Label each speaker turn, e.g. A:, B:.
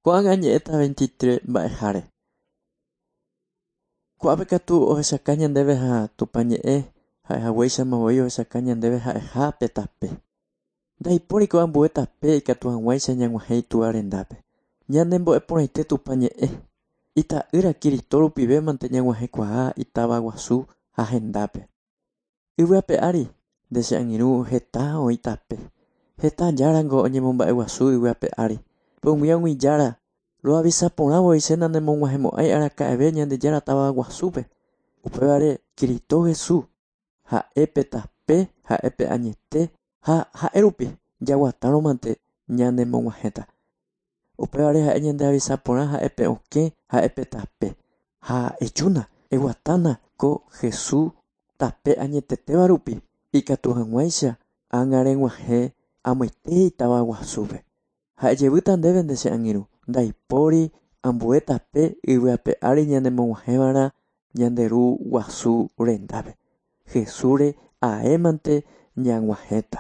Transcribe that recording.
A: Ko'ág̃a añe'ẽta 23 mba'eháre. Ko'ápe katu ohechaka ñandéve ha Tupã ñe'ẽ ha'ehaguéichama voi ohechaka ñandéve ha'eha pe tape. Ndaipóriko ambue tape ikatu hag̃uáicha ñag̃uahẽ Itúva rendápe. Ñanembo'eporãite Tupã ñe'ẽ. Ita'ýra Kirito rupivémante ñag̃uahẽkuaa itáva guasu ha hendápe. Yvy ape ári nde che angirũ heta oĩ tape. Heta járango oñemomba'eguasu yvy ape ári. Pe umi ag̃ui jára roavisa porã voi che nanemog̃uahẽmo'ãi araka'eve Ñandejára táva guasúpe. Upévare Kirito Jesús ha'e pe tape, ha'e pe añete ha ha'e rupi jaguatárõmante ñanemog̃uahẽta. Upévare ha'e ñandeavisa porã ha'e pe okẽ, ha'e pe tape. Ha ejúna, eguatána ko Jesús tape añetetéva rupi ikatu hag̃uáicha ág̃a reg̃uahẽ amoite itáva guasúpe. Ha ejevýta ndéve nde che angirũ, ndaipóri ambue tape yvy ape ári ñanemog̃uahẽva'erã ñande Ru guasu rendápe. Jesúsre aémante ñag̃uahẽta.